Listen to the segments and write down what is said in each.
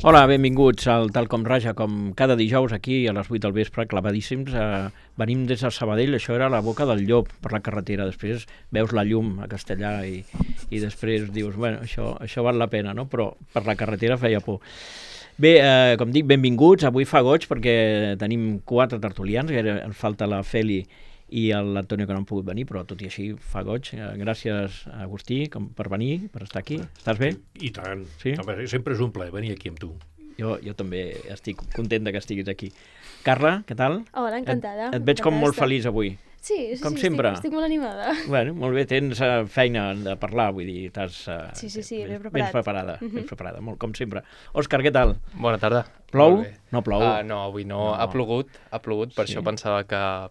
Hola, benvinguts al Tal com Raja, com cada dijous aquí a les 8 del vespre, clavadíssims. Venim des de Sabadell, això era la Boca del Llop per la carretera. Després veus la llum a Castellà i després dius, bueno, això val la pena, no? Però per la carretera feia por. Bé, com dic, benvinguts. Avui fa goig perquè tenim 4 tertulians, ens falta la Feli i l'Antonio, que no han pogut venir, però tot i així fa goig. Gràcies, Agustí, per venir, per estar aquí. Estàs bé? I tant. Sí? Sempre és un plaer venir aquí amb tu. Jo també estic content que estiguis aquí. Carla, què tal? Hola, encantada. Et veig com molt feliç avui. Sí, com sempre. Estic molt animada. Bueno, molt bé, tens feina de parlar, vull dir, estàs Sí, ben preparada, ben preparada, molt, com sempre. Òscar, què tal? Bona tarda. Plou? No plou. No, avui no. Ha plogut, per això pensava que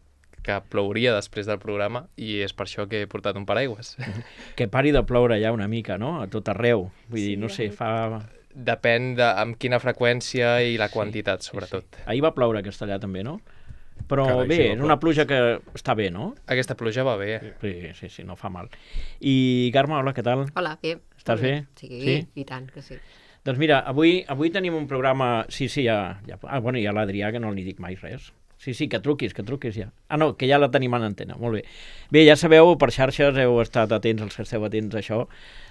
plouria després del programa i és per això que he portat un paraigües. Que pari de ploure ja una mica, no? A tot arreu. Vull dir, no sé, fa... Depèn amb quina freqüència i la quantitat, sobretot. Sí. Ahir va ploure a Castellà també, no? Però Carai, bé, és una pluja que està bé, no? Aquesta pluja va bé. Sí, no fa mal. I Carme, hola, què tal? Hola, bé. Estàs bé? Sí, i tant que sí. Doncs mira, avui tenim un programa... Sí, ja... bueno, hi ha l'Adrià, que no li dic mai res. Sí, que truquis ja. No, que ja la tenim en antena, molt bé. Bé, ja sabeu, per xarxes heu estat atents, els que esteu atents a això,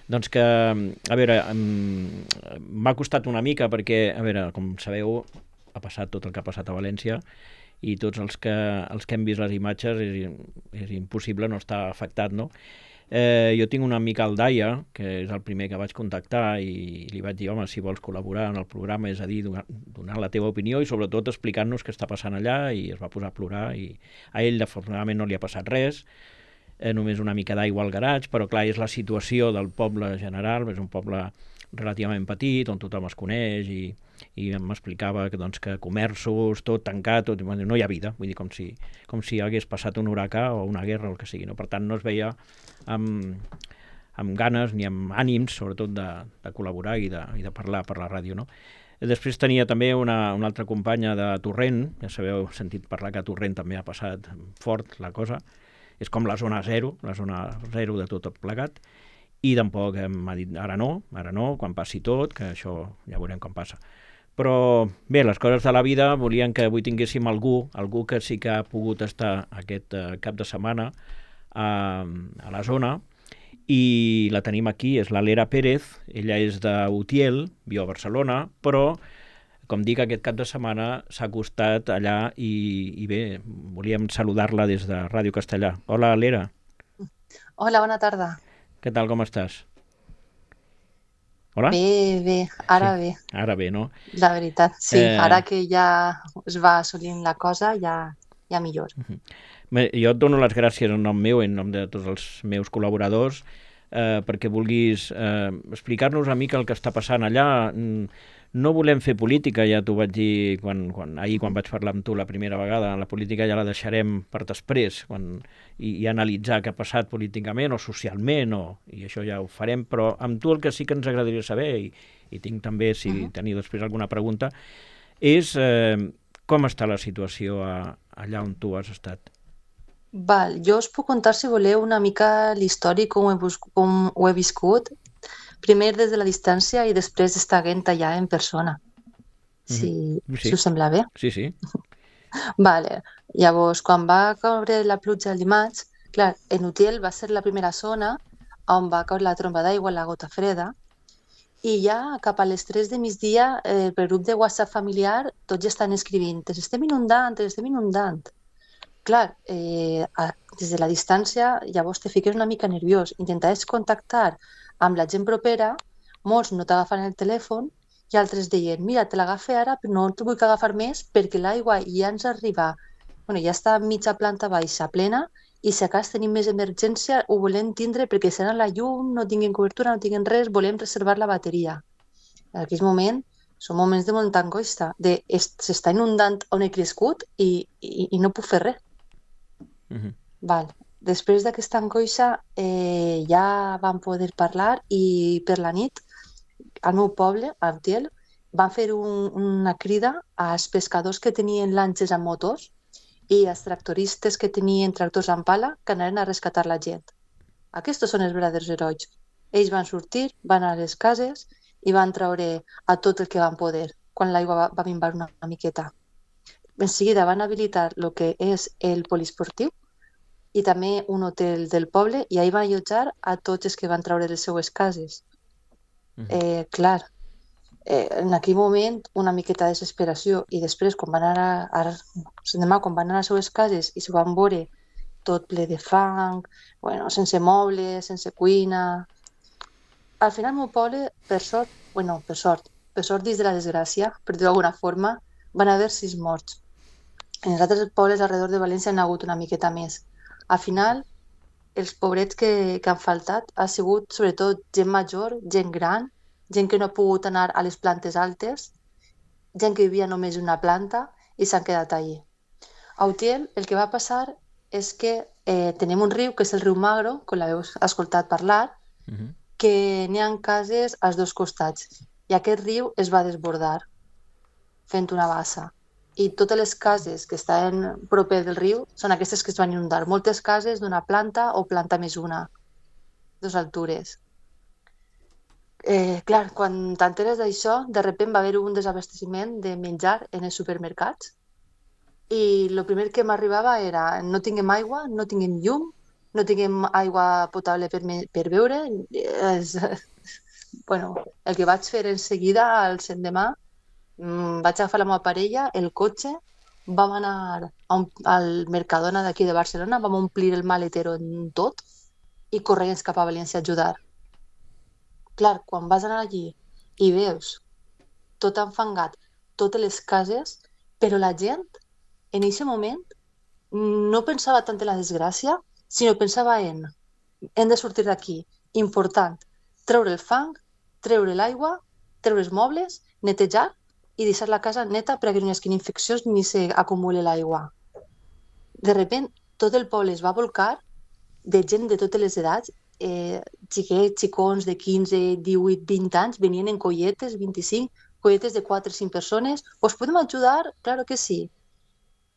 doncs que, a veure, m'ha costat una mica perquè, a veure, com sabeu, ha passat tot el que ha passat a València i tots els que hem vist les imatges és impossible no estar afectat, no? Jo tinc un amic al Daia, que és el primer que vaig contactar i li vaig dir, home, si vols col·laborar en el programa, és a dir, donar la teva opinió i sobretot explicant-nos què està passant allà, i es va posar a plorar i a ell afortunadament no li ha passat res, només una mica d'aigua al garatge, però clar, és la situació del poble general, és un poble relativament petit, on tothom es coneix i m'explicava que, doncs, que comerços, tot tancat, no hi ha vida, vull dir, com si hagués passat un huracà o una guerra o el que sigui, no? Per tant, no es veia amb ganes ni amb ànims, sobretot, de col·laborar i de parlar per la ràdio, no? Després tenia també una altra companya de Torrent, ja sabeu, he sentit parlar que a Torrent també ha passat fort la cosa, és com la zona zero de tot plegat, i tampoc m'ha dit ara no, quan passi tot, que això ja veurem com passa. Però bé, les coses de la vida volien que avui tinguéssim algú que sí que ha pogut estar aquest cap de setmana a la zona, i la tenim aquí, és la Lera Pérez. Ella és d'Utiel, viu a Barcelona, però, com dic, aquest cap de setmana s'ha acostat allà i bé, volíem saludar-la des de Ràdio Castellà. Hola, Lera. Hola, bona tarda. Què tal, com estàs? Hola? Bé, ara sí. bé. Ara bé, no? La veritat, sí. Ara que ja es va assolint la cosa, ja millor. Jo et dono les gràcies en nom meu, en nom de tots els meus col·laboradors, perquè vulguis explicar-nos una mica el que està passant allà. No volem fer política, ja t'ho vaig dir ahir quan vaig parlar amb tu la primera vegada. La política ja la deixarem per després i analitzar què ha passat políticament o socialment, i això ja ho farem, però amb tu el que sí que ens agradaria saber, i tinc també, si teniu després alguna pregunta, és com està la situació allà on tu has estat. Val, jo us puc contar, si voleu, una mica l'històric, com ho he viscut, primer des de la distància i després d'estar allà en persona. Si us sembla bé? Sí. Vale. Llavors, quan va caure la pluja el dimarts, clar, en Utiel va ser la primera zona on va caure la tromba d'aigua, la gota freda, i ja cap a les 3 de migdia, pel grup de WhatsApp familiar, tots ja estan escrivint, ens estem inundant. Clar, des de la distància, llavors te fiques una mica nerviós. Intentaves contactar amb la gent propera, molts no t'agafen el telèfon i altres deien, mira, te l'agafe ara, però no te vull agafar més perquè l'aigua ja ens arriba, ja està a mitja planta baixa plena, i si a cas tenim més emergència ho volem tindre perquè serà la llum, no tinguem cobertura, no tinguem res, volem reservar la bateria. En aquell moment són moments de molta angoixa, s'està inundant on he crescut i no puc fer res. Val. Després d'aquesta angoixa ja vam poder parlar, i per la nit al meu poble, a Utiel, van fer una crida als pescadors que tenien lanxes amb motors i als tractoristes que tenien tractors amb pala, que anaven a rescatar la gent. Aquests són els verdaders herois. Ells van sortir, van a les cases i van treure a tot el que van poder quan l'aigua va minvar una miqueta. En seguida van habilitar el que és el poliesportiu i també un hotel del poble i ahir van allotjar a tots els que van treure les seues cases. Clar, en aquell moment una miqueta de desesperació i després quan van anar quan van anar a les seues cases i s'ho van veure tot ple de fang, sense mobles, sense cuina. Al final el meu poble, per sort dins de la desgràcia, per dir-ho d'alguna forma, van haver 6 morts. En els altres pobles alrededor de València n'ha hagut una miqueta més. Al final, els pobrets que han faltat ha sigut sobretot gent major, gent gran, gent que no ha pogut anar a les plantes altes, gent que vivia només en una planta i s'han quedat allí. A Utiel el que va passar és que tenim un riu, que és el riu Magro, com l'heu escoltat parlar, que n'hi ha cases als 2 costats. I aquest riu es va desbordar fent una bassa. I totes les cases que estaven proper del riu són aquestes que es van inundar. Moltes cases d'una planta o planta més una, 2 altures. Clar, quan t'enteres d'això, de sobte va haver un desabasteciment de menjar en els supermercats i el primer que m'arribava era no tinguem aigua, no tinguem llum, no tinguem aigua potable per beure. El que vaig fer en seguida, al l'endemà, vaig agafar la meva parella, el cotxe, vam anar al Mercadona d'aquí de Barcelona, vam omplir el maletero en tot i corrents cap a València a ajudar. Clar, quan vas anar allí i veus tot enfangat, totes les cases, però la gent en aquest moment no pensava tant en la desgràcia, sinó pensava hem de sortir d'aquí. Important, treure el fang, treure l'aigua, treure els mobles, netejar i deixar la casa neta perquè no hi hagi infeccions ni s'acumuli l'aigua. De sobte, tot el poble es va volcar de gent de totes les edats, xiquets, xicons de 15, 18, 20 anys, venien en colletes, 25, colletes de 4 o 5 persones. Us podem ajudar? Claro que sí.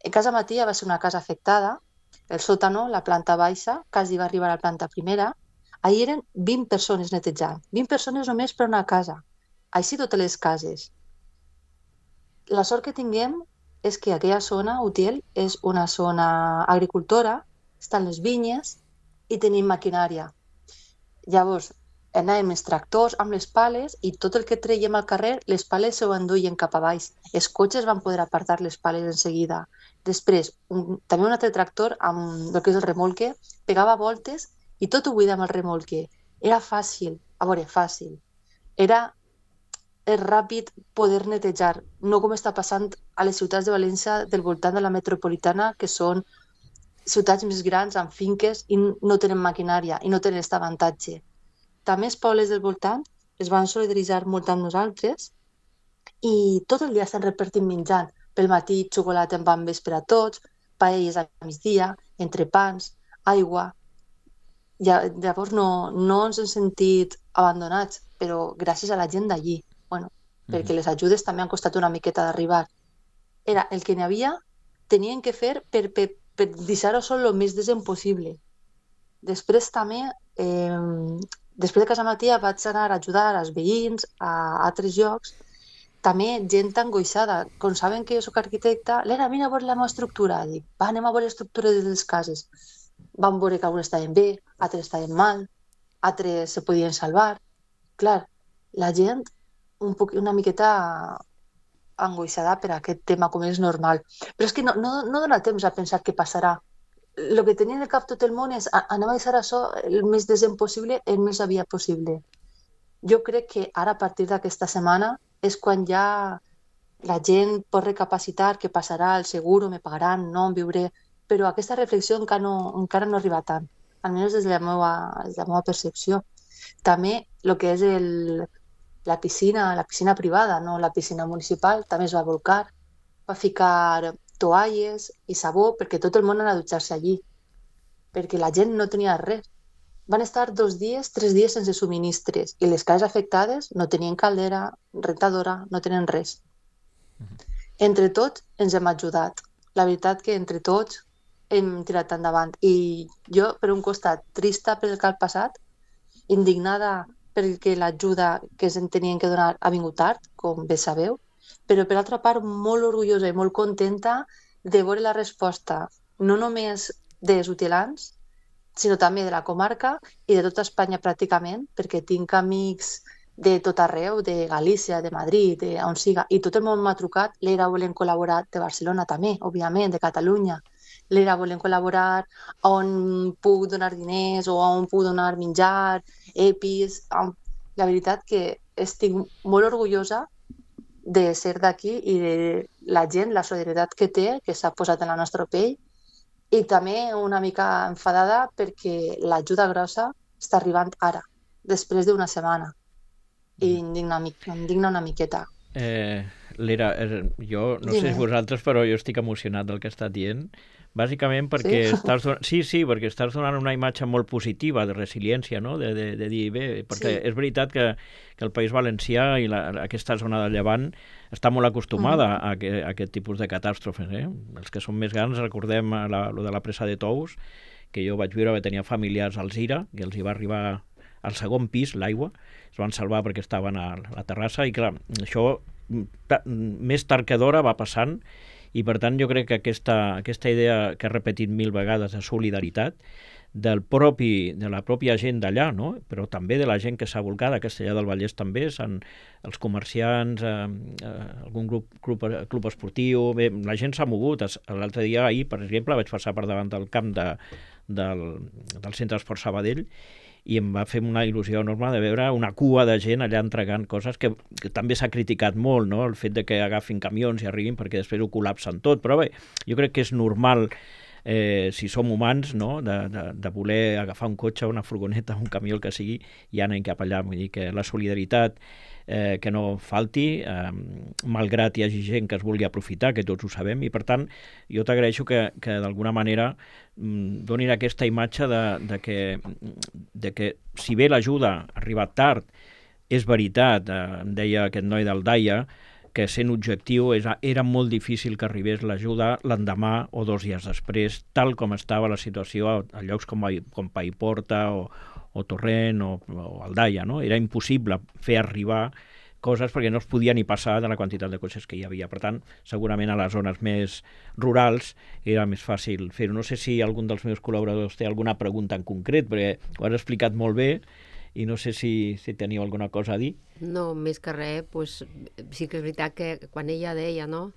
En casa Matia va ser una casa afectada, el sòtano, la planta baixa, quasi va arribar a la planta primera. Ahir eren 20 persones netejant, 20 persones només per una casa, així totes les cases. La sort que tinguem és que aquella zona, Utiel, és una zona agricultora, estan les vinyes i tenim maquinària. Llavors, anàvem els tractors amb les pales i tot el que traiem al carrer, les pales s'ho enduien cap a baix. Els cotxes van poder apartar les pales en seguida. Després, també un altre tractor amb el que és el remolque, pegava voltes i tot ho buida amb el remolque. Era fàcil, fàcil. Era ràpid poder netejar, no com està passant a les ciutats de València del voltant de la metropolitana, que són ciutats més grans amb finques i no tenen maquinària i no tenen aquest avantatge. També els pobles del voltant es van solidaritzar molt amb nosaltres i tot el dia estan repartint menjant. Pel matí, xocolata amb bambes per a tots, paelles a migdia, entrepans, aigua. Llavors no ens hem sentit abandonats, però gràcies a la gent d'allí. Perquè les ajudes també han costat una miqueta d'arribar. Era el que n'hi havia, tenien que fer per deixar-ho sol el més decent possible. Després també, després de casa Matia vaig anar a ajudar als veïns a altres llocs, també gent angoixada. Com saben que jo soc arquitecta, l'era, vine a veure la meva estructura. Dic, va, anem a veure l'estructura de les cases. Vam veure que algunes estaven bé, altres estaven mal, altres se podien salvar. Clar, la gent una miqueta angoixada per aquest tema, com és normal. Però és que no dona temps a pensar què passarà. El que tenia en el cap tot el món és anem a deixar això el més decent possible, el més aviat possible. Jo crec que ara, a partir d'aquesta setmana, és quan ja la gent pot recapacitar què passarà, el seguro, me pagaran, no, em viuré... Però aquesta reflexió encara no arriba tant, almenys des de la meva percepció. També el que és la piscina privada, no la piscina municipal, també es va volcar, va ficar toalles i sabó perquè tot el món anava a dutxar-se allí, perquè la gent no tenia res. Van estar 2 dies, 3 dies sense subministres i les cases afectades no tenien caldera, rentadora, no tenen res. Entre tots ens hem ajudat. La veritat que entre tots hem tirat endavant. I jo, per un costat, trista per el que ha passat, indignada perquè l'ajuda que ens tenien que donar ha vingut tard, com bé sabeu, però per altra part molt orgullosa i molt contenta de veure la resposta no només dels utilans, sinó també de la comarca i de tota Espanya pràcticament, perquè tinc amics de tot arreu, de Galícia, de Madrid, de on siga, i tot el món m'ha trucat. L'ERA volen col·laborar de Barcelona també, òbviament, de Catalunya. L'ERA volen col·laborar on puc donar diners o on puc donar menjar, EPIs. La veritat que estic molt orgullosa de ser d'aquí i de la gent, la solidaritat que té, que s'ha posat en la nostra pell, i també una mica enfadada perquè l'ajuda grossa està arribant ara, després d'una setmana. I em digna una miqueta. L'Era, jo no sé si vosaltres, però jo estic emocionat del que estàs dient, bàsicament perquè perquè estàs donant una imatge molt positiva de resiliència, no? de dir, bé, perquè és veritat que el País Valencià i aquesta zona de Llevant està molt acostumada a aquest tipus de catàstrofes. Els que som més grans recordem lo de la presa de Tous, que jo vaig viure, tenia familiars al Zira, que els hi va arribar al segon pis l'aigua, es van salvar perquè estaven a la terrassa, i clar, això més tard que d'hora va passant, i per tant jo crec que aquesta idea que he repetit 1000 vegades de solidaritat de la pròpia gent d'allà, no? Però també de la gent que s'ha volcat a Castellar del Vallès també, els comerciants, algun club esportiu, bé, la gent s'ha mogut. L'altre dia, ahir, per exemple, vaig passar per davant del camp del Centre d'Esport Sabadell i em va fer una il·lusió enorme de veure una cua de gent allà entregant coses que també s'ha criticat molt, no? El fet de que agafin camions i arribin perquè després ho col·lapsen tot, però bé, jo crec que és normal, si som humans, no? de voler agafar un cotxe, una furgoneta, un camió, el que sigui, i anar cap allà. Vull dir que la solidaritat que no falti, malgrat hi hagi gent que es vulgui aprofitar, que tots ho sabem, i per tant jo t'agraeixo que d'alguna manera donin aquesta imatge de que si bé l'ajuda ha arribat tard, és veritat, em deia aquest noi del Daia, que sent objectiu era molt difícil que arribés l'ajuda l'endemà o 2 dies després, tal com estava la situació a llocs com Paiporta o Torrent o Aldaia, no? Era impossible fer arribar coses perquè no es podia ni passar de la quantitat de cotxes que hi havia. Per tant, segurament a les zones més rurals era més fàcil fer-ho. No sé si algun dels meus col·laboradors té alguna pregunta en concret, perquè ho has explicat molt bé i no sé si teniu alguna cosa a dir. No, més que res, doncs, sí que és veritat que quan ella deia, no?,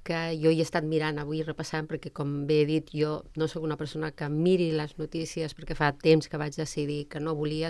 que jo hi he estat mirant avui, repassant, perquè com bé he dit, jo no sóc una persona que miri les notícies, perquè fa temps que vaig decidir que no volia,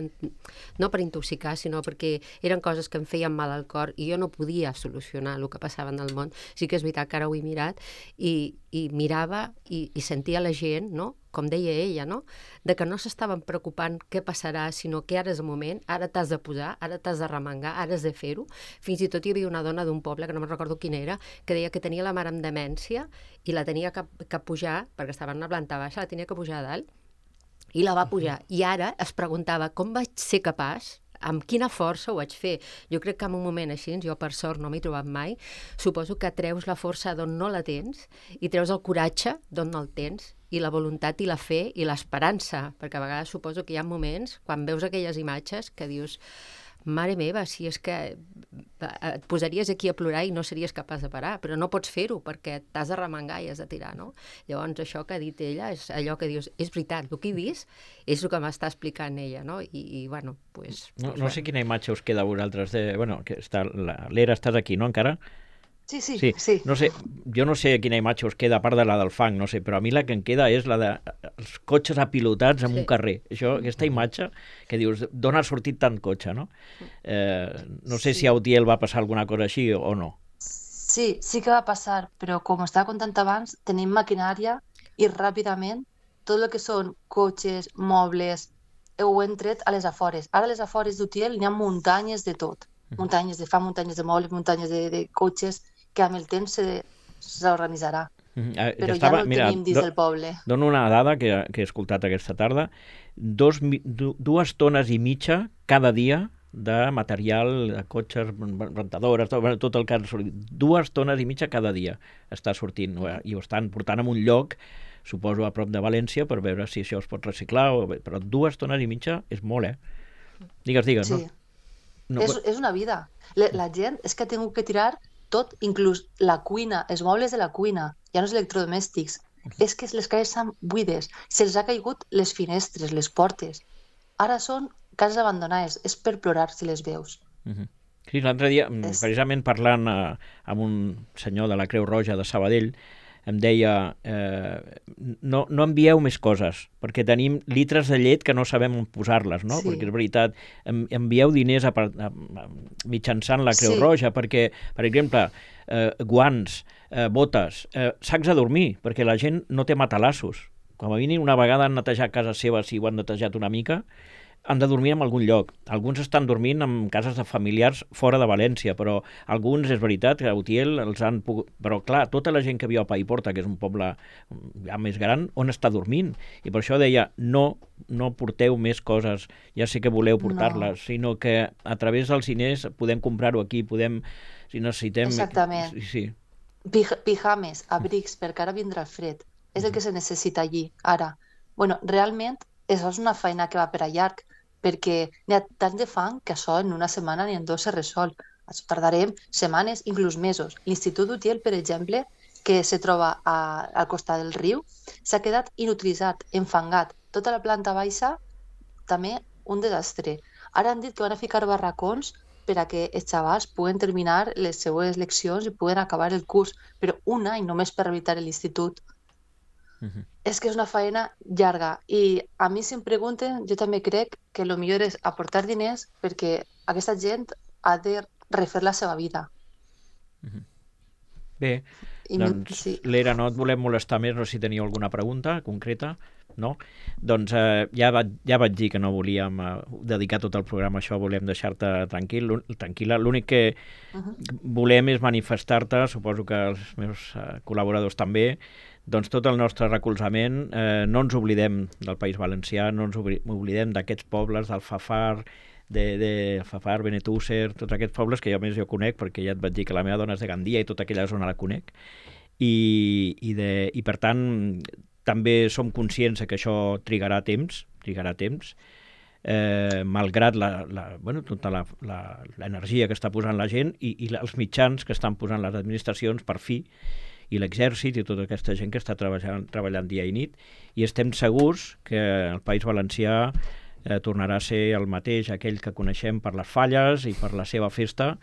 no per intoxicar, sinó perquè eren coses que em feien mal al cor i jo no podia solucionar el que passava en el món. Sí que és veritat que ara ho he mirat i mirava i sentia la gent, no?, com deia ella, no?, de que no s'estaven preocupant què passarà, sinó que ara és el moment, ara t'has de posar, ara t'has de remengar, ara has de fer-ho. Fins i tot hi havia una dona d'un poble, que no me'n recordo quina era, que deia que tenia la mare amb demència i la tenia que pujar, perquè estava en una planta baixa, la tenia que pujar a dalt, i la va pujar. I ara es preguntava com vaig ser capaç, amb quina força ho vaig fer. Jo crec que en un moment així, jo per sort no m'he trobat mai, suposo que treus la força d'on no la tens i treus el coratge d'on no el tens, i la voluntat i la fe i l'esperança, perquè a vegades suposo que hi ha moments, quan veus aquelles imatges, que dius, mare meva, si és que et posaries aquí a plorar i no series capaç de parar, però no pots fer-ho perquè t'has de remengar i has de tirar, no? Llavors això que ha dit ella és allò que dius, és veritat, el que he vist és el que m'està explicant ella, no? I bueno, doncs... No sé quina imatge us queda a vosaltres de... Bueno, que l'Era estàs aquí, no, encara? Sí. No sé, jo no sé quina imatge us queda, a part de la del fang, no sé, però a mi la que em queda és la dels cotxes apilotats en un carrer. Aquesta imatge que dius, d'on ha sortit tant cotxe, no? No sé si a Utiel va passar alguna cosa així o no. Sí que va passar, però com estava contant abans, tenim maquinària i ràpidament tot el que són cotxes, mobles, ho hem tret a les afores. Ara a les afores d'Utiel n'hi ha muntanyes de tot. Muntanyes de de mobles, muntanyes de cotxes, que amb el temps s'organitzarà. Però ja no el tenim dins del poble. Dono una dada que he escoltat aquesta tarda. 2 tones i mitja cada dia de material, de cotxes, rentadores, tot el que ha sortit. 2 tones i mitja cada dia està sortint. I ho estan portant en un lloc, suposo a prop de València, per veure si això es pot reciclar. Però 2 tones i mitja és molt, Digues, sí. no? No, És una vida. La gent és que ha tingut que tirar tot, inclús la cuina, els mobles de la cuina, ja no els electrodomèstics. És que les cases estan buides, se'ls ha caigut les finestres, les portes. Ara són cases abandonades, és per plorar si les veus. Sí, l'altre dia, precisament parlant amb un senyor de la Creu Roja de Sabadell, em deia, no envieu més coses, perquè tenim litres de llet que no sabem on posar-les, no? Sí. Perquè és veritat, envieu diners mitjançant la Creu Roja, perquè, per exemple, guants, botes, sacs de dormir, perquè la gent no té matalassos. Com a mínim, una vegada han netejat casa seva, si ho han netejat una mica, han de dormir en algun lloc. Alguns estan dormint en cases de familiars fora de València, però alguns, és veritat, que a Utiel els han pogut... Però, clar, tota la gent que viu a Paiporta, que és un poble ja més gran, on està dormint? I per això deia, no porteu més coses, ja sé que voleu portar-les, sinó que a través dels diners podem comprar-ho aquí, podem, si necessitem... Exactament. Sí. Pijames, abrics, perquè ara vindrà el fred. És el que se necessita allí, ara. Bueno, realment, això és una feina que va per a llarg, perquè n'hi ha tant de fang que això en una setmana ni en 2 se resol. Això tardarem setmanes, inclús mesos. L'Institut d'Utiel, per exemple, que se troba al costat del riu, s'ha quedat inutilitzat, enfangat. Tota la planta baixa, també un desastre. Ara han dit que van a ficar barracons per a que els xavals puguen terminar les seues leccions i puguen acabar el curs, però un any només per rehabilitar l'institut. És que és una feina llarga i a mi si em pregunten, jo també crec que el millor és aportar diners perquè aquesta gent ha de refer la seva vida. Bé, doncs, Lera, no et volem molestar més, no sé si teniu alguna pregunta concreta, no? Doncs ja vaig dir que no volíem dedicar tot el programa a això, volem deixar-te tranquil·la. L'únic que volem és manifestar-te, suposo que els meus col·laboradors també, doncs tot el nostre recolzament, no ens oblidem del País Valencià, no ens oblidem d'aquests pobles, del Fafar, de Fafar, Benetússer, tots aquests pobles que jo més conec, perquè ja et vaig dir que la meva dona és de Gandia i tota aquella zona la conec. I per tant, també som conscients que això trigarà temps, malgrat tota l'energia que està posant la gent i els mitjans que estan posant les administracions per fi, i l'exèrcit i tota aquesta gent que està treballant dia i nit, i estem segurs que el País Valencià tornarà a ser el mateix, aquell que coneixem per les falles i per la seva festa,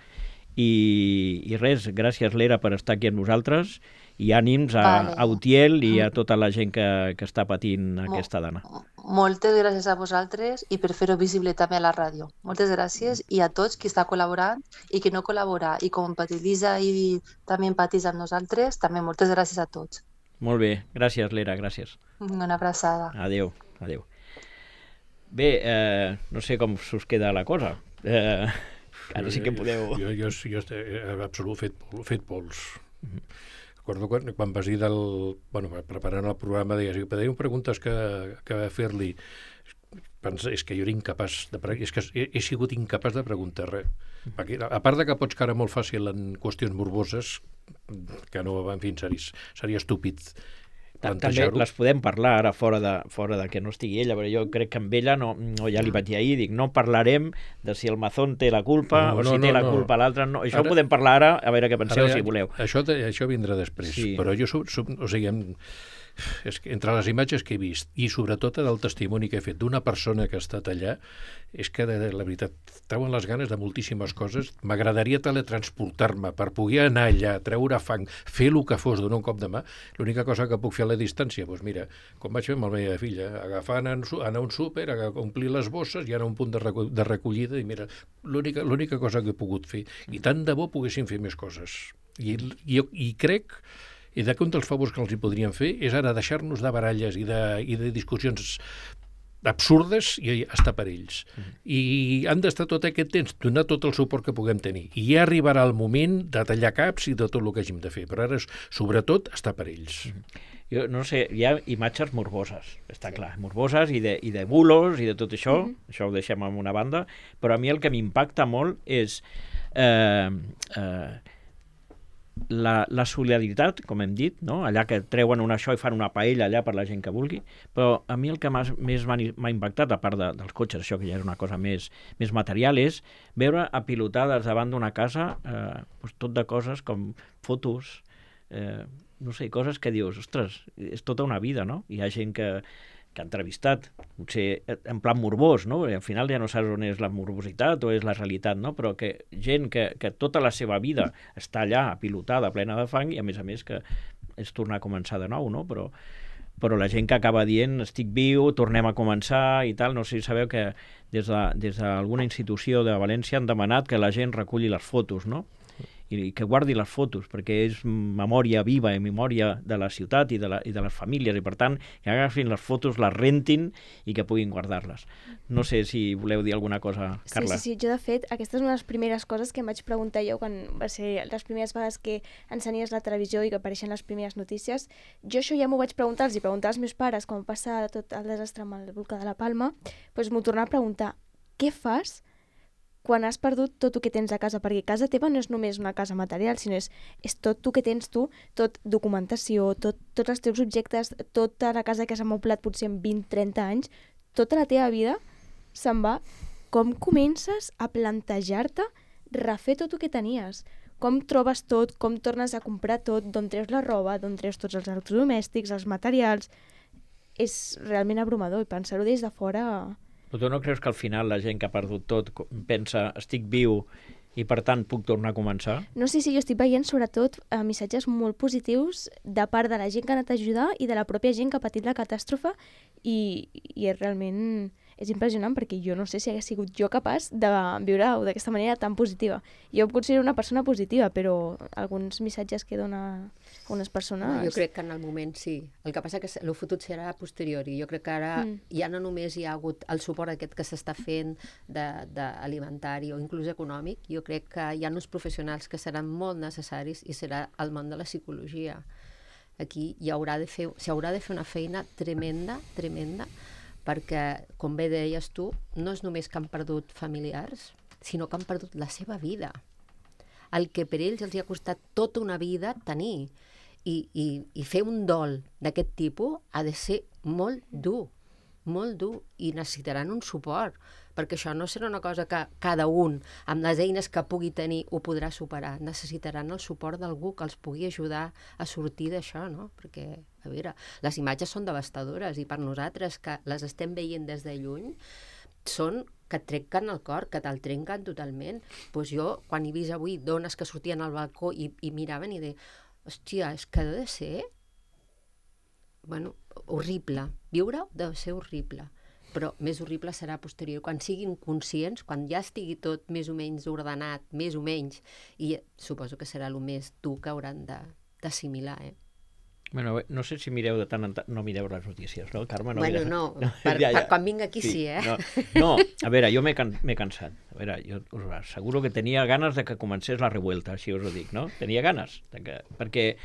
i res, gràcies Lera per estar aquí amb nosaltres, i ànims a Utiel i a tota la gent que està patint aquesta dana. Moltes gràcies a vosaltres i per fer-ho visible també a la ràdio. Moltes gràcies i a tots qui està col·laborant i qui no col·labora i com empatitza i també empatitza amb nosaltres, també moltes gràcies a tots. Molt bé, gràcies Lera, gràcies. Una abraçada. Adéu. Bé, no sé com us queda la cosa. Ara sí que podeu... Jo absolut fet pols. Recordo quan vas dir preparant el programa, deies que teniu preguntes que fer-li. És que jo era incapaç és que he sigut incapaç de preguntar res. A part de que pots caure molt fàcil en qüestions morboses, que no, en fi, seria estúpid plantejar-ho. També les podem parlar ara fora de que no estigui ella, però jo crec que amb ella ja li vaig dir ahir, dic, no parlarem de si el Mazón té la culpa o si té la culpa l'altre, no. Això ho podem parlar ara, a veure què penseu, si voleu. Això vindrà després, però jo, o sigui, és que entre les imatges que he vist i sobretot del testimoni que he fet d'una persona que ha estat allà, és que la veritat treuen les ganes de moltíssimes coses. M'agradaria teletransportar-me per poder anar allà, treure fang, fer el que fos, donar un cop de mà. L'única cosa que puc fer a la distància, doncs mira, com vaig fer amb la meva filla, agafar, anar a un súper, omplir les bosses i anar a un punt de recollida, i mira, l'única cosa que he pogut fer. I tant de bo poguessin fer més coses. I crec i un dels favors que els hi podríem fer és ara deixar-nos de baralles i de discussions absurdes i estar per ells. I han d'estar tot aquest temps, donar tot el suport que puguem tenir. I ja arribarà el moment de tallar caps i de tot el que hàgim de fer, però ara, sobretot, estar per ells. Jo no sé, hi ha imatges morboses, està clar, morboses i de bulos i de tot això, això ho deixem en una banda, però a mi el que m'impacta molt és la solidaritat, com hem dit, no? Allà que treuen això i fan una paella allà per la gent que vulgui, però a mi el que més m'ha impactat, a part dels cotxes, això que ja és una cosa més material, és veure apilotades davant d'una casa tot de coses com fotos, no sé, coses que dius, ostres, és tota una vida, no? Hi ha gent que ha entrevistat, potser en plan morbós, no? Al final ja no saps on és la morbositat o és la realitat, no? Però que gent que tota la seva vida està allà pilotada, plena de fang, i a més que és tornar a començar de nou, no? Però la gent que acaba dient estic viu, tornem a començar i tal, no sé si sabeu que des d'alguna institució de València han demanat que la gent reculli les fotos, no? I que guardi les fotos, perquè és memòria viva i memòria de la ciutat i de les famílies, i per tant que agafin les fotos, les rentin i que puguin guardar-les. No sé si voleu dir alguna cosa, Carla. Sí, jo de fet, aquesta és una de les primeres coses que em vaig preguntar jo quan va ser les primeres vegades que ensenyies la televisió i que apareixen les primeres notícies. Jo això ja m'ho vaig preguntar, els hi preguntar als meus pares quan va passar tot el desastre amb el volcà de la Palma, doncs m'ho tornava a preguntar, què fas quan has perdut tot el que tens a casa? Perquè casa teva no és només una casa material, sinó és tot el que tens tu, tot documentació, tots els teus objectes, tota la casa que s'ha amoblat potser en 20-30 anys, tota la teva vida se'n va. Com comences a plantejar-te refer tot el que tenies? Com trobes tot? Com tornes a comprar tot? D'on treus la roba? D'on treus tots els electrodomèstics, els materials? És realment abrumador i pensar-ho des de fora... Però tu no creus que al final la gent que ha perdut tot pensa estic viu i per tant puc tornar a començar? No sé si jo estic veient sobretot missatges molt positius de part de la gent que ha anat a ajudar i de la pròpia gent que ha patit la catàstrofe i realment és impressionant perquè jo no sé si hagués sigut jo capaç de viure-ho d'aquesta manera tan positiva. Jo em considero una persona positiva, però alguns missatges que dona unes persones... Jo crec que en el moment sí. El que passa que el futur serà a posteriori. Jo crec que ara ja no només hi ha hagut el suport aquest que s'està fent d'alimentari o inclús econòmic, jo crec que hi ha uns professionals que seran molt necessaris i serà el món de la psicologia. Aquí s'haurà de fer una feina tremenda, perquè, com bé deies tu, no és només que han perdut familiars, sinó que han perdut la seva vida. El que per ells els ha costat tota una vida tenir. I fer un dol d'aquest tipus ha de ser molt dur, i necessitaran un suport, perquè això no serà una cosa que cada un, amb les eines que pugui tenir, ho podrà superar. Necessitaran el suport d'algú que els pugui ajudar a sortir d'això, no? Perquè, a veure, les imatges són devastadores i per nosaltres, que les estem veient des de lluny, són que et trenquen el cor, que te'l trenquen totalment. Doncs jo, quan he vist avui dones que sortien al balcó i miraven i deien, hòstia, és que ha de ser... Bueno, horrible. Viure deu ser horrible. Però més horrible serà posterior, quan siguin conscients, quan ja estigui tot més o menys ordenat, més o menys, i suposo que serà el més dur que hauran d'assimilar, Bueno, no sé si mireu de tant en tant... No mireu les notícies, no, Carme? No, bueno, no, per quan vinc aquí sí, No, a veure, jo m'he cansat. A veure, jo us asseguro que tenia ganes de que comencés la revuelta, així us ho dic, no? Tenia ganes, perquè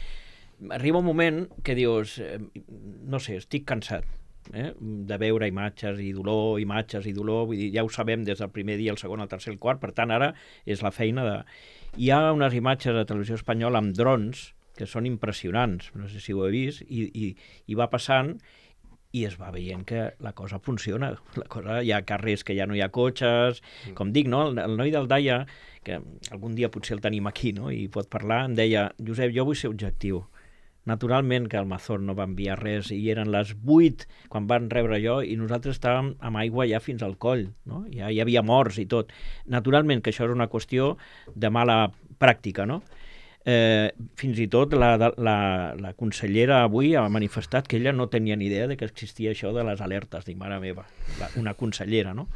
arriba un moment que dius, no sé, estic cansat de veure imatges i dolor, vull dir, ja ho sabem des del primer dia, el segon, el tercer, el quart, per tant ara és la feina de... Hi ha unes imatges de Televisió Espanyola amb drons que són impressionants, no sé si ho he vist, i va passant i es va veient que la cosa funciona. Hi ha carrers que ja no hi ha cotxes, com dic, no? El noi del Daia, que algun dia potser el tenim aquí, no? I pot parlar, em deia, Josep, jo vull ser objectiu. Naturalment que el Mazón no va enviar res i eren les 8 quan van rebre allò i nosaltres estàvem amb aigua ja fins al coll, no? Ja hi havia morts i tot. Naturalment que això és una qüestió de mala pràctica, no? Fins i tot la consellera avui ha manifestat que ella no tenia ni idea de que existia això de les alertes. Dic, mare meva, una consellera, no?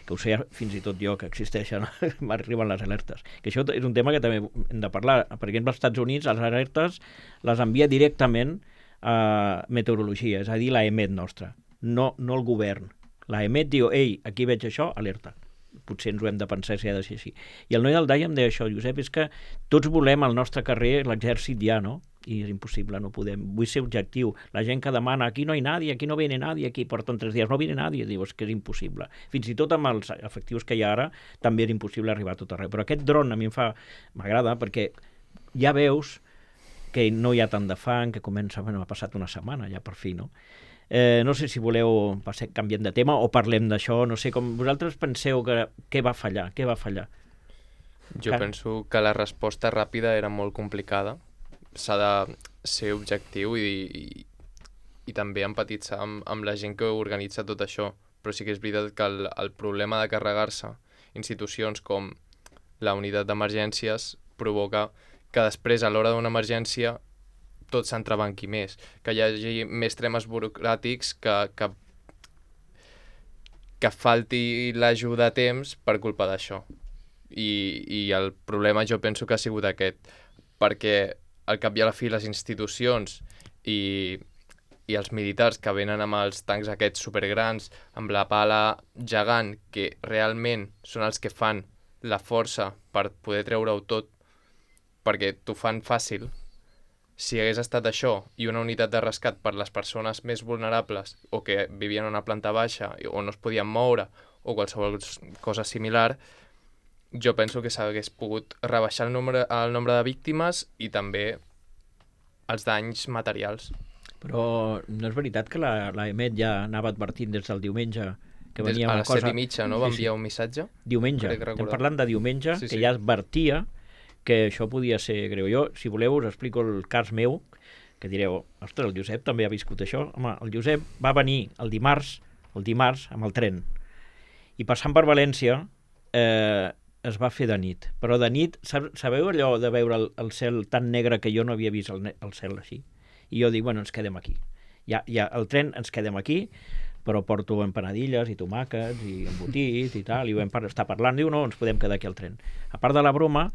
Que ho sé fins i tot jo que existeixen, m'arriben les alertes. Que això és un tema que també hem de parlar. Per exemple, als Estats Units les alertes les envia directament a meteorologia, és a dir, la EMET nostra, no el govern. La EMET diu, ei, aquí veig això, alerta. Potser ens ho hem de pensar si ha de ser així. I el noi del Daia em deia això, Josep, és que tots volem al nostre carrer l'exèrcit ja, no? I és impossible, no podem. Vull ser objectiu. La gent que demana, aquí no hi nadie, aquí no viene nadie, aquí porten 3 dies, no viene nadie, dius que és impossible. Fins i tot amb els efectius que hi ha ara, també és impossible arribar a tot arreu. Però aquest dron a mi m'agrada perquè ja veus que no hi ha tant de fang, que comença, ha passat una setmana ja per fi, no? No sé si voleu, canviem de tema o parlem d'això, no sé, com vosaltres penseu que què va fallar? Jo penso que la resposta ràpida era molt complicada. S'ha de ser objectiu i també empatitzar amb la gent que organitza tot això. Però sí que és veritat que el problema de carregar-se institucions com la unitat d'emergències provoca que després, a l'hora d'una emergència, tot s'entrebanqui més, que hi hagi més temes burocràtics, que falti l'ajuda a temps per culpa d'això. I el problema jo penso que ha sigut aquest, perquè al cap i a la fi les institucions i els militars que venen amb els tancs aquests supergrans, amb la pala gegant, que realment són els que fan la força per poder treure-ho tot, perquè t'ho fan fàcil. Si hagués estat això i una unitat de rescat per les persones més vulnerables o que vivien a una planta baixa o no es podien moure o qualsevol cosa similar, jo penso que s'hagués pogut rebaixar el nombre de víctimes i també els danys materials. Però no és veritat que la EMET ja anava advertint des del diumenge que venia a una les cosa... 7:30, no? Va enviar un missatge? Diumenge. Estem parlant de diumenge, que ja advertia que això podia ser greu. Jo, si voleu, us explico el cas meu, que direu, ostres, el Josep també ha viscut això. Home, el Josep va venir el dimarts amb el tren, i passant per València es va fer de nit. Però de nit, sabeu allò de veure el cel tan negre que jo no havia vist el cel així? I jo dic, bueno, ens quedem aquí. Ja el tren, ens quedem aquí, però porto empanadilles i tomàquets i embotit i tal, i vam estar parlant, diu, no, ens podem quedar aquí al tren. A part de la broma,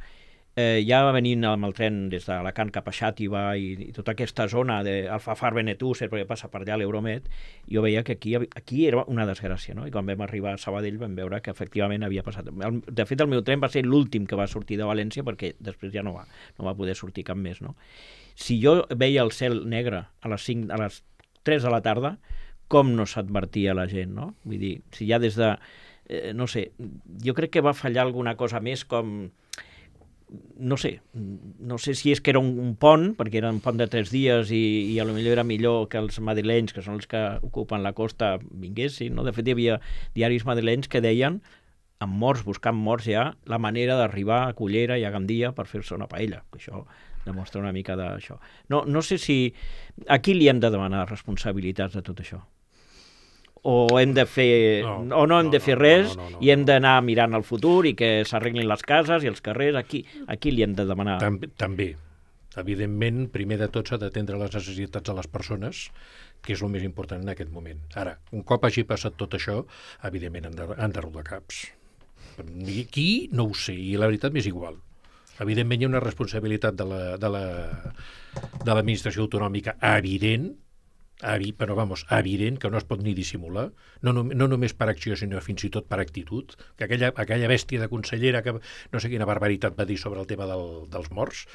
ja venint amb el tren des d'Alacant cap a Xàtiva i tota aquesta zona d'Alfafar, Benetússer, perquè passa per allà l'Euromet, jo veia que aquí era una desgràcia, no? I quan vam arribar a Sabadell vam veure que efectivament havia passat. De fet, el meu tren va ser l'últim que va sortir de València, perquè després ja no va poder sortir cap més, no? Si jo veia el cel negre a les 3 de la tarda, com no s'advertia la gent, no? Vull dir, si ja des de... no sé, jo crec que va fallar alguna cosa més com... No sé si és que era un pont, perquè era un pont de 3 dies i potser era millor que els madrilenys, que són els que ocupen la costa, vinguessin, no? De fet, hi havia diaris madrilenys que deien, buscant morts ja, la manera d'arribar a Cullera i a Gandia per fer-se una paella, que això demostra una mica d'això. No sé si... A qui li hem de demanar responsabilitats de tot això? O hem de fer... o no hem de fer res i hem d'anar mirant al futur i que s'arreglin les cases i els carrers. A qui li hem de demanar? També. Evidentment, primer de tot s'ha d'atendre les necessitats de les persones, que és el més important en aquest moment. Ara, un cop hagi passat tot això, evidentment han de rodar caps. Qui? No ho sé, i la veritat m'és igual. Evidentment hi ha una responsabilitat de l'administració autonòmica evident, però evident, que no es pot ni dissimular, no només per acció, sinó fins i tot per actitud, que aquella bèstia de consellera que no sé quina barbaritat va dir sobre el tema dels morts,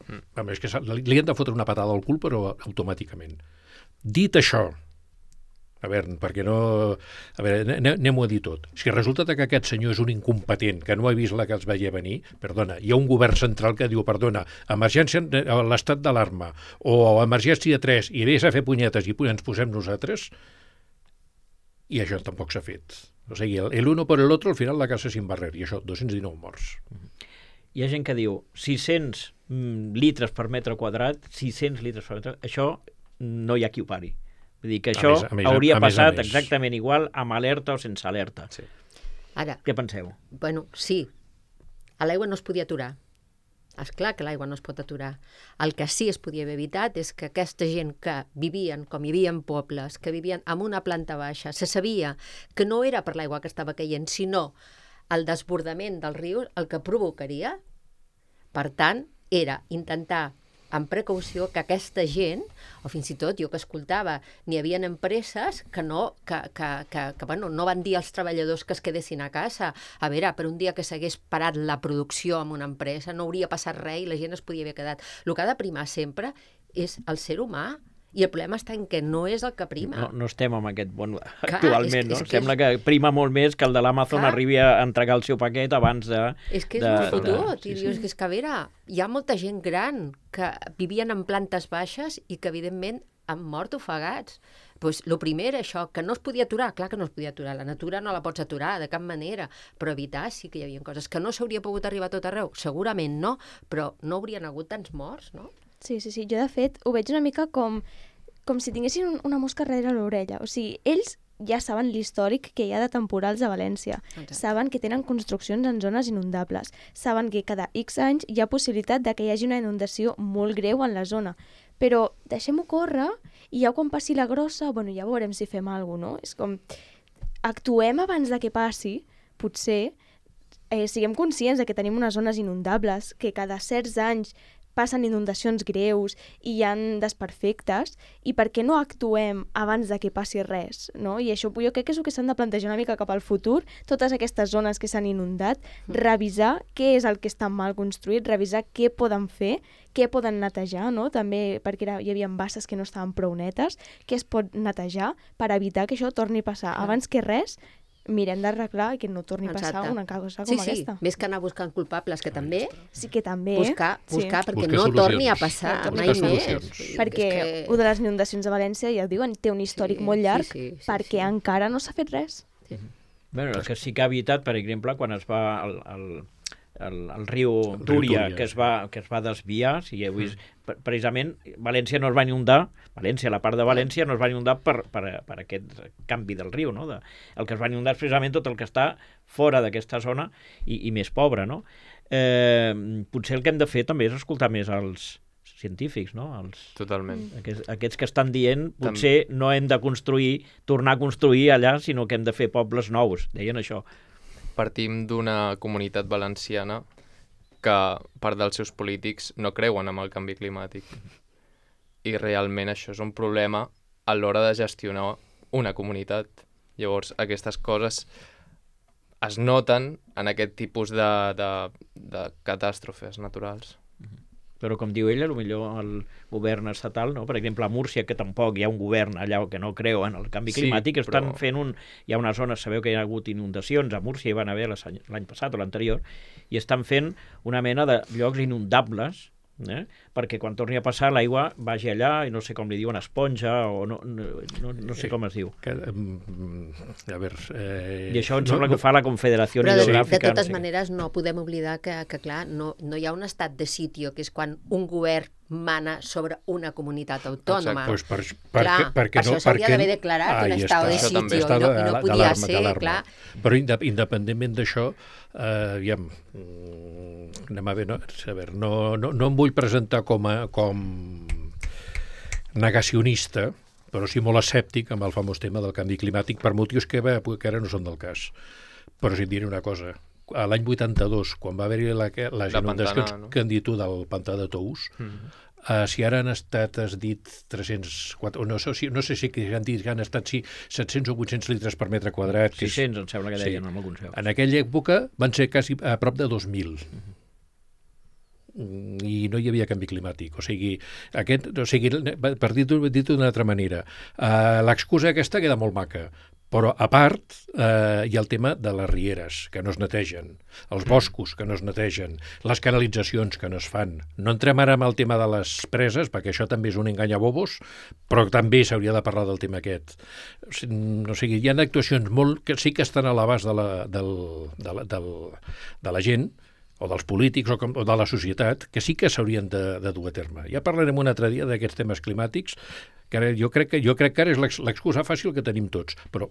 és que li han de fotre una patada al cul, però automàticament. Dit això, perquè no... anem-ho a dir tot. Si resulta que aquest senyor és un incompetent, que no ha vist la que els veia venir, perdona, hi ha un govern central que diu, perdona, emergència a l'estat d'alarma, o emergència 3, i vés a fer punyetes i ens posem nosaltres, i això tampoc s'ha fet. O sigui, el uno por el otro, al final la casa sin barrer, i això, 219 morts. Hi ha gent que diu 600 litres per metre quadrat, 600 litres per metre, això no hi ha qui ho pari. Vull dir que això hauria passat exactament igual amb alerta o sense alerta. Sí. Ara, què penseu? Bueno, sí, a l'aigua no es podia aturar. És clar que l'aigua no es pot aturar. El que sí es podia haver evitat és que aquesta gent que vivien, com hi havia en pobles, que vivien en una planta baixa, se sabia que no era per l'aigua que estava caient, sinó el desbordament del riu el que provocaria. Per tant, era intentar amb precaució que aquesta gent, o fins i tot jo que escoltava, n'hi havia empreses que no van dir als treballadors que es quedessin a casa. A veure, per un dia que s'hagués parat la producció en una empresa no hauria passat res i la gent es podia haver quedat. El que ha de primar sempre és el ser humà I el problema està en que no és el que prima. No estem amb aquest món actualment, no? Sembla que prima molt més que el de l'Amazon arribi a entregar el seu paquet abans de... És que és molt fotut. I dius que és que, a veure, hi ha molta gent gran que vivien en plantes baixes i que, evidentment, han mort ofegats. Doncs el primer era això, que no es podia aturar. Clar que no es podia aturar, la natura no la pots aturar de cap manera, però evitar sí que hi havia coses. Que no s'hauria pogut arribar a tot arreu? Segurament no, però no haurien hagut tants morts, no? Sí. Jo, de fet, ho veig una mica com si tinguessin una mosca darrere l'orella. O sigui, ells ja saben l'històric que hi ha de temporals a València. Exacte. Saben que tenen construccions en zones inundables. Saben que cada X anys hi ha possibilitat de que hi hagi una inundació molt greu en la zona. Però deixem-ho córrer i ja quan passi la grossa, ja veurem si fem alguna cosa, no? És com, actuem abans de que passi, potser, siguem conscients de que tenim unes zones inundables, que cada certs anys passen inundacions greus i hi ha desperfectes, i per què no actuem abans de que passi res, no? I això jo crec que és el que s'han de plantejar una mica cap al futur, totes aquestes zones que s'han inundat, revisar què és el que està mal construït, revisar què poden fer, què poden netejar, no? També perquè hi havia basses que no estaven prou netes, què es pot netejar per evitar que això torni a passar. Abans que res, mirem d'arreglar i que no torni a passar una cosa com aquesta. Sí, més que anar buscant culpables, que també... Sí, que també... Buscar perquè no torni a passar mai més. Perquè una de les inundacions de València, ja ho diuen, té un històric molt llarg perquè encara no s'ha fet res. Bé, el que sí que ha evitat, per exemple, quan es va el riu Túria, que es va desviar, si heu vist, precisament València no es va inundar, la part de València no es va inundar per aquest canvi del riu, no? El que es va inundar és precisament tot el que està fora d'aquesta zona i més pobre, no? Potser el que hem de fer també és escoltar més els científics, no? Totalment. Aquests que estan dient, potser no hem de tornar a construir allà, sinó que hem de fer pobles nous, deien això. Partim d'una comunitat valenciana que part dels seus polítics no creuen en el canvi climàtic. I realment això és un problema a l'hora de gestionar una comunitat. Llavors, aquestes coses es noten en aquest tipus de catàstrofes naturals. Però com diu ella, potser el govern estatal, no? Per exemple, a Múrcia, que tampoc hi ha un govern allà que no creu en el canvi climàtic, estan fent hi ha una zona, sabeu que hi ha hagut inundacions, a Múrcia hi van haver l'any passat o l'anterior, i estan fent una mena de llocs inundables, perquè quan torni a passar l'aigua vagi allà i no sé com li diuen, esponja o no sé com es diu. A veure... I això em sembla que ho fa la Confederació Hidrogràfica. De totes maneres no podem oblidar que clar, no hi ha un estat de sitio, que és quan un govern mana sobre una comunitat autònoma. Pues per això s'hauria d'haver declarat un estat de sitio i no podia ser, clar. Però independentment d'això, aviam, anem a veure, no em vull presentar com negacionista, però sí molt escèptic amb el famós tema del canvi climàtic per motius que ara no són del cas. Però si em diré una cosa, a l'any 82, quan va haver-hi les inundacions que han dit tu del pantà de Tous, si ara han estat, has dit, 304, no sé si han dit que han estat 700 o 800 litres per metre quadrat. 600, em sembla que deien en alguns llocs. En aquella època van ser quasi a prop de 2.000. I no hi havia canvi climàtic. O sigui, per dir-ho d'una altra manera, l'excusa aquesta queda molt maca, però a part hi ha el tema de les rieres, que no es netegen, els boscos, que no es netegen, les canalitzacions, que no es fan. No entrem ara amb el tema de les preses, perquè això també és un enganyabobos, però també s'hauria de parlar del tema aquest. O sigui, hi ha actuacions que sí que estan a l'abast de la gent, o dels polítics o de la societat, que sí que s'haurien de dur a terme. Ja parlarem un altre dia d'aquests temes climàtics, que ara jo crec que ara és l'excusa fàcil que tenim tots, però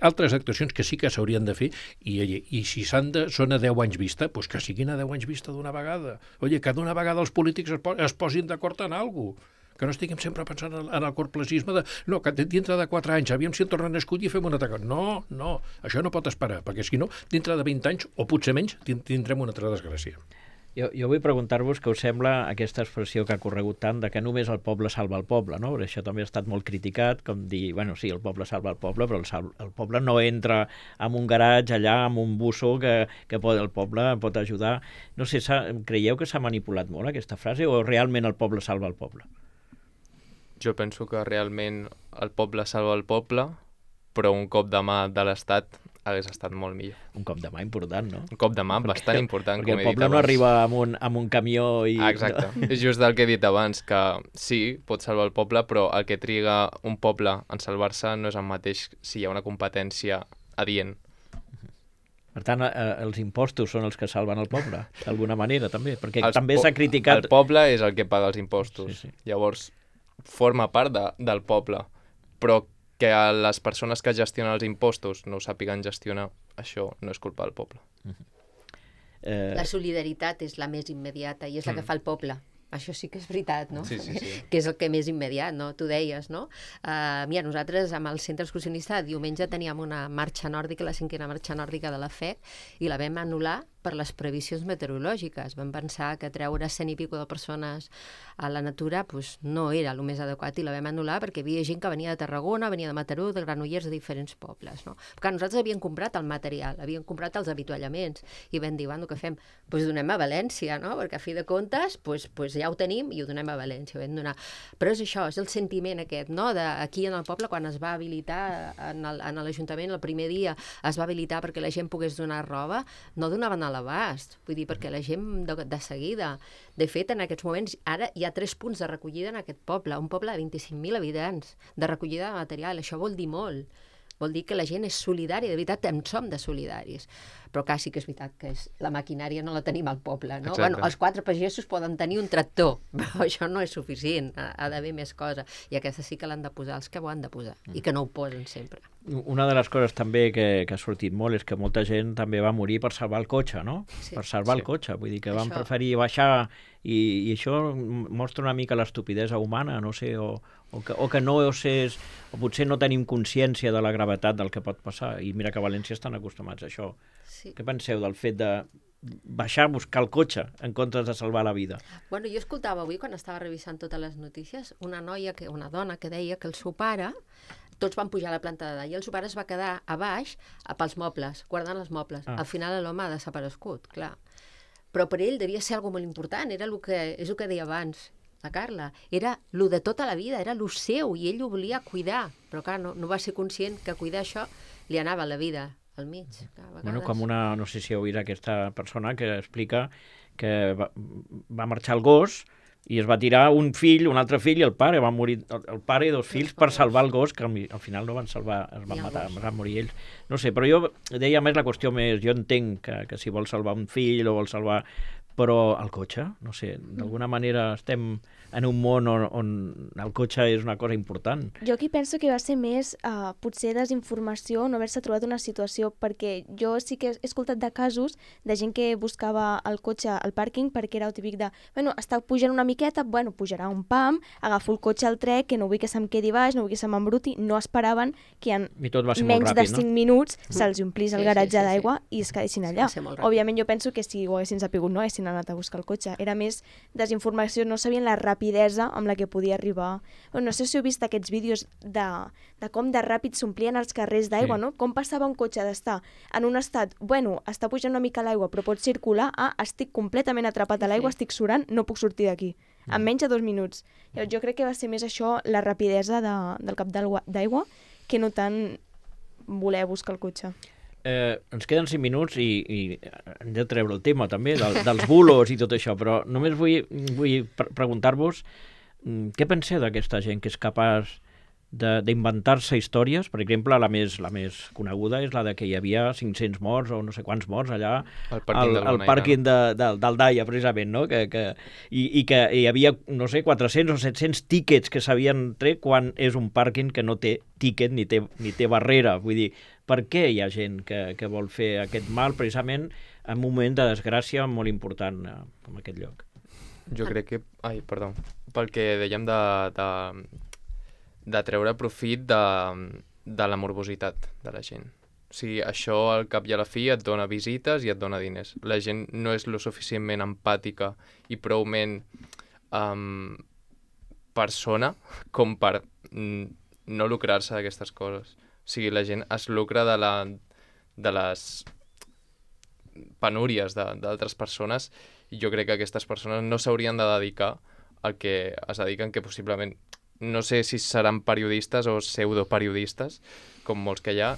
altres actuacions que sí que s'haurien de fer, i si són a 10 anys vista, doncs que siguin a 10 anys vista d'una vegada. Oye, que d'una vegada els polítics es posin d'acord en alguna cosa, que no estiguem sempre pensant en el corplacisme que dintre de 4 anys, aviam si el tornen a escollir i fem un altre cosa. No, això no pot esperar, perquè si no, dintre de 20 anys, o potser menys, tindrem una altra desgràcia. Jo vull preguntar-vos què us sembla aquesta expressió que ha corregut tant de que només el poble salva el poble, no? Perquè això també ha estat molt criticat, com dir, bueno, sí, el poble salva el poble, però el poble no entra en un garatge allà, amb un busso que el poble pot ajudar. No sé, creieu que s'ha manipulat molt aquesta frase o realment el poble salva el poble? Jo penso que realment el poble salva el poble, però un cop de mà de l'Estat hagués estat molt millor. Un cop de mà important, no? Un cop de mà bastant important, Perquè com el he dit poble no abans. arriba amb un camió i... Exacte. És just el que he dit abans, que sí, pot salvar el poble, però el que triga un poble en salvar-se no és el mateix si hi ha una competència adient. Per tant, els impostos són els que salven el poble, d'alguna manera, també, perquè també po- s'ha criticat... El poble és el que paga els impostos. Sí, sí. Llavors, forma part del poble, però que les persones que gestionen els impostos no ho sàpiguen gestionar, això no és culpa del poble. La solidaritat és la més immediata i és la que fa el poble. Això sí que és veritat, no? Sí, sí, sí. Que és el que més immediat, no? Tu deies, no? Mira, nosaltres amb el centre excursionista diumenge teníem una marxa nòrdica, la 5a marxa nòrdica de la FEC, i la vam anul·lar per les previsions meteorològiques. Vam pensar que treure 100 i pico de persones a la natura pues, no era el més adequat i la vam anul·lar perquè hi havia gent que venia de Tarragona, venia de Mataró, de Granollers, de diferents pobles. No? Perquè nosaltres havíem comprat el material, havíem comprat els avituallaments i vam dir, bueno, què fem? Doncs donem a València, no? Perquè a fi de comptes pues ja ho tenim i ho donem a València. Ho vam donar. Però és això, és el sentiment aquest, no? Aquí en el poble, quan es va habilitar en l'Ajuntament, el primer dia es va habilitar perquè la gent pogués donar roba, no donaven a l'abast, vull dir, perquè la gent de seguida. De fet, en aquests moments, ara hi ha 3 punts de recollida en aquest poble, un poble de 25.000 habitants, de recollida de material. Això vol dir molt. Vol dir que la gent és solidària, de veritat, en som de solidaris. Però clar, sí que és veritat que la maquinària no la tenim al poble, no? Exacte. Bueno, els 4 pagesos poden tenir un tractor, però això no és suficient, ha d'haver més cosa. I aquesta sí que l'han de posar els que ho han de posar, i que no ho posen sempre. Una de les coses també que ha sortit molt és que molta gent també va morir per salvar el cotxe, no? Sí. Per salvar el cotxe, vull dir que van preferir baixar i això mostra una mica l'estupidesa humana, no sé, o que no és, o potser no tenim consciència de la gravetat del que pot passar, i mira que a València estan acostumats a això. Sí. Què penseu del fet de baixar a buscar el cotxe en comptes de salvar la vida? Bueno, jo escoltava avui, quan estava revisant totes les notícies, una dona que deia que el seu pare, tots van pujar a la planta de dalt, i el seu pare es va quedar a baix pels mobles, guardant els mobles. Al final l'home ha desaparegut, clar. Però per ell devia ser algo molt important, és el que deia abans la Carla, era lo de tota la vida, era lo seu, i ell ho volia cuidar, però clar, no va ser conscient que cuidar això li anava la vida al mig. Bueno, com no sé si heu vist aquesta persona que explica que va marxar el gos i es va tirar un altre fill i el pare, va morir el pare i 2 fills per salvar el gos, que al final no van salvar, es van matar, van morir ells. No sé, però jo deia més la qüestió més, jo entenc que si vol salvar un fill o vol salvar, però el cotxe, no sé, d'alguna manera estem en un món on el cotxe és una cosa important. Jo aquí penso que va ser més potser desinformació, no haver-se trobat una situació, perquè jo sí que he escoltat de casos de gent que buscava el cotxe al pàrquing perquè era el típic de, bueno, està pujant una miqueta, bueno, pujarà un pam, agafo el cotxe al trec, que no vull que se'm quedi baix, no vull que se m'embruti, no esperaven que en menys de 5 minuts se'ls omplís el garatge d'aigua i es quedessin allà. Òbviament jo penso que si ho haguessin sapigut no haguessin anat a buscar el cotxe. Era més desinformació, no sabien la rapidesa amb la que podia arribar. Bueno, no sé si heu vist aquests vídeos de com de ràpid s'omplien els carrers d'aigua, no? Com passava un cotxe d'estar en un estat, bueno, està pujant una mica l'aigua però pot circular, estic completament atrapat a l'aigua, estic surant, no puc sortir d'aquí. En menys de 2 minuts. Jo crec que va ser més això, la rapidesa del cap d'aigua, que no tant voler buscar el cotxe. Ens queden 5 minuts i hem de treure el tema també dels bulos i tot això, però només vull preguntar-vos què penseu d'aquesta gent que és capaç d'inventar-se històries. Per exemple, la més coneguda és la de que hi havia 500 morts o no sé quants morts allà al pàrquing del Daia, precisament, no? I que hi havia, no sé, 400 o 700 tíquets que s'havien tret quan és un pàrquing que no té tíquet ni té barrera. Vull dir, per què hi ha gent que vol fer aquest mal precisament en un moment de desgràcia molt important com aquest lloc? Jo crec que... perdó. Pel que dèiem de treure profit de la morbositat de la gent. O sigui, això al cap i a la fi et dona visites i et dona diners. La gent no és lo suficientment empàtica i proument persona com per no lucrar-se d'aquestes coses. O sigui, la gent es lucra de les penúries d'altres persones i jo crec que aquestes persones no s'haurien de dedicar al que es dediquen, que possiblement no sé si seran periodistes o pseudoperiodistes, com molts que hi ha,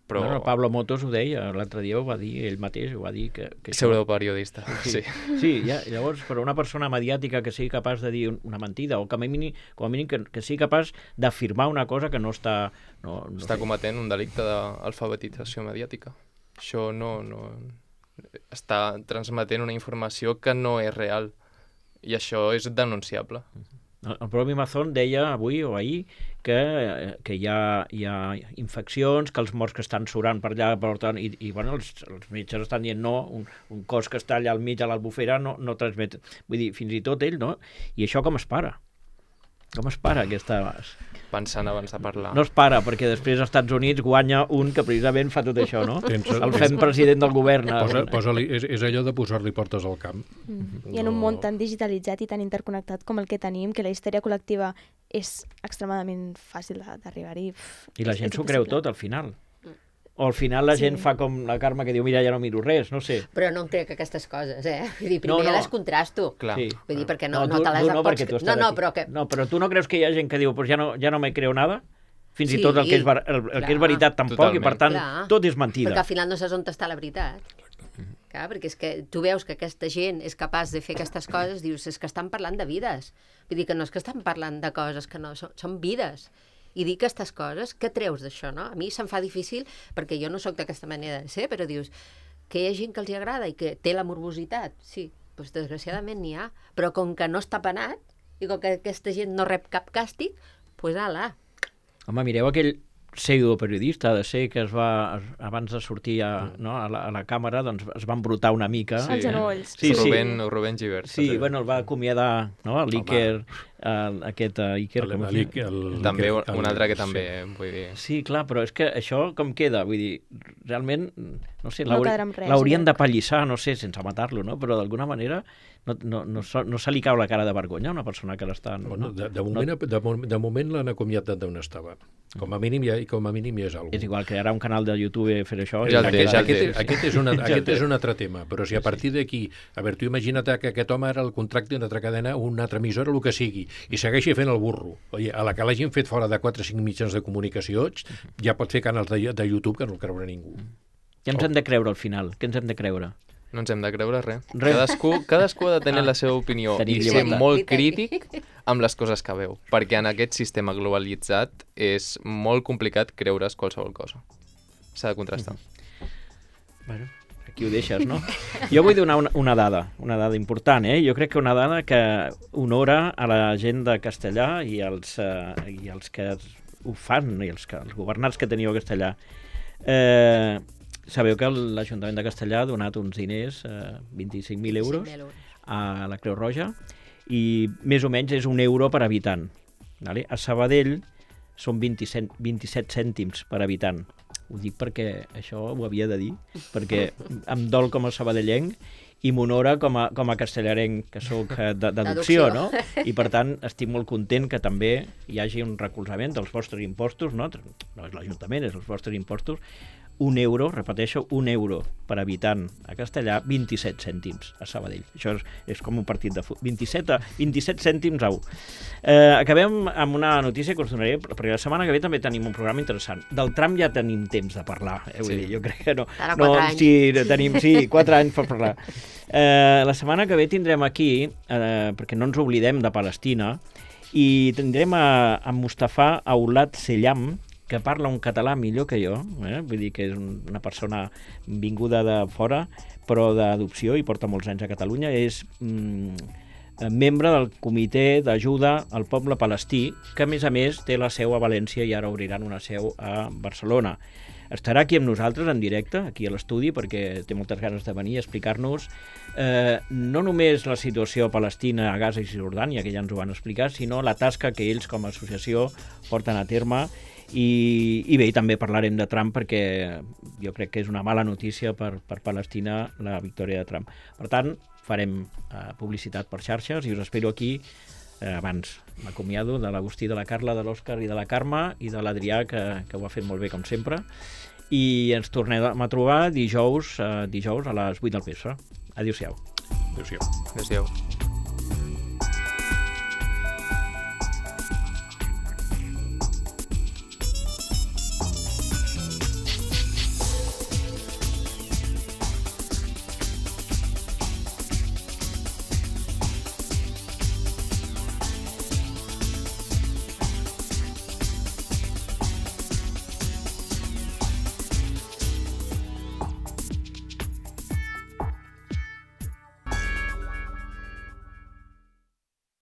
però... Bueno, Pablo Motos ho deia, l'altre dia ho va dir, ell mateix ho va dir que Pseudoperiodista, sí. Sí, llavors, per una persona mediàtica que sigui capaç de dir una mentida, o com a mínim que sigui capaç d'afirmar una cosa que no està... Està cometent un delicte d'alfabetització mediàtica. Això no... Està transmetent una informació que no és real, i això és denunciable. El propi Mazón deia avui o ahir que hi ha infeccions, que els morts que estan surant per allà, per tant, i bueno, els metges estan dient no, un cos que està allà al mig a l'Albufera no transmet. Vull dir, fins i tot ell, no? I això com es para? Com es para aquesta... Pensant abans de parlar. No es para, perquè després als Estats Units guanya un que precisament fa tot això, no? El fem president del govern. És allò de posar-li portes al camp. I en un món tan digitalitzat i tan interconnectat com el que tenim, que la història col·lectiva és extremadament fàcil d'arribar-hi. I la gent s'ho creu tot, al final. O al final la gent fa com la Carme que diu mira, ja no miro res, no sé. Però no em crec aquestes coses, Vull dir, primer les contrasto. Clar. Sí. Vull dir, perquè no te les pots... No, però tu no creus que hi ha gent que diu pues ja no me creo nada? Fins i tot el que és veritat tampoc, totalment. I per tant tot és mentida. Perquè al final no saps on està la veritat. Clar, perquè és que tu veus que aquesta gent és capaç de fer aquestes coses, dius, és que estan parlant de vides. Vull dir que no és que estan parlant de coses que no, són vides. I dir aquestes coses, què treus d'això, no? A mi se'm fa difícil, perquè jo no sóc d'aquesta manera de ser, però dius que hi ha gent que els agrada i que té la morbositat. Sí, doncs desgraciadament n'hi ha. Però com que no està penat, i com que aquesta gent no rep cap càstig, doncs ala. Home, mireu aquell pseudoperiodista de ser que abans de sortir a la càmera, doncs es va embrutar una mica. Els genolls. Sí. Rubén Givert. Sí, bueno, el va acomiadar, no? l'Iker, aquest Iker... També un altre que també, vull dir... Sí, clar, però és que això com queda? Vull dir, realment, no sé, No quedarà amb res, l'haurien de pallissar, no sé, sense matar-lo, no? Però d'alguna manera no se li cau la cara de vergonya a una persona que l'està... Bueno, de moment l'han acomiadat d'on estava. Com a mínim ja és alguna cosa. És igual, crearà un canal de YouTube fer això. Aquest és un altre tema, però si a partir d'aquí, a veure, tu imagina't que aquest home era el contracte d'una altra cadena, una altra emissora, el que sigui, i segueixi fent el burro. Oye, a la que l'hagin fet fora de 4 o 5 mitjans de comunicació, ja pot fer canals de YouTube que no el creurà ningú. Què ens hem de creure al final? Què ens hem de creure? No ens hem de creure res. Cadascú ha de tenir la seva opinió i ser molt crític amb les coses que veu, perquè en aquest sistema globalitzat és molt complicat creure's qualsevol cosa. S'ha de contrastar. Bueno, aquí ho deixes, no? Jo vull donar una dada important, Jo crec que una dada que honora a la gent de Castellà i els que ho fan, i els governants que teniu a Castellà. Sabeu que l'Ajuntament de Castellà ha donat uns diners, 25.000 euros, a la Creu Roja, i més o menys és €1 per habitant. Vale? A Sabadell són 27 cèntims per habitant. Ho dic perquè això ho havia de dir, perquè em dol com a sabadellenc i m'honora com a castellarenc, que sóc d'adopció, no? I per tant estic molt content que també hi hagi un recolzament dels vostres impostos, no és l'Ajuntament, és els vostres impostos, €1, repeteixo, €1 per habitant a Castellà, 27 cèntims a Sabadell. Això és com un partit de futbol. 27 cèntims a 1. Acabem amb una notícia que us donaré, perquè la setmana que ve també tenim un programa interessant. Del tram ja tenim temps de parlar, vull dir, jo crec que no. Ara 4 anys. Sí, 4 anys per parlar. La setmana que ve tindrem aquí, perquè no ens oblidem de Palestina, i tindrem a Mustafa Aulat Sellam, que parla un català millor que jo, vull dir que és una persona vinguda de fora, però d'adopció, i porta molts anys a Catalunya. És membre del Comitè d'Ajuda al Poble Palestí, que a més té la seu a València i ara obriran una seu a Barcelona. Estarà aquí amb nosaltres en directe, aquí a l'estudi, perquè té moltes ganes de venir a explicar-nos no només la situació palestina a Gaza i Cisjordània, que ja ens ho van explicar, sinó la tasca que ells com a associació porten a terme. I bé, també parlarem de Trump, perquè jo crec que és una mala notícia per Palestina la victòria de Trump. Per tant, farem publicitat per xarxes i us espero aquí. Abans m'acomiado de l'Agustí, de la Carla, de l'Òscar i de la Carme i de l'Adrià, que ho ha fet molt bé com sempre, i ens tornem a trobar dijous a les 8 del vespre. Adéu-siau. Adéu-siau. Adéu-siau.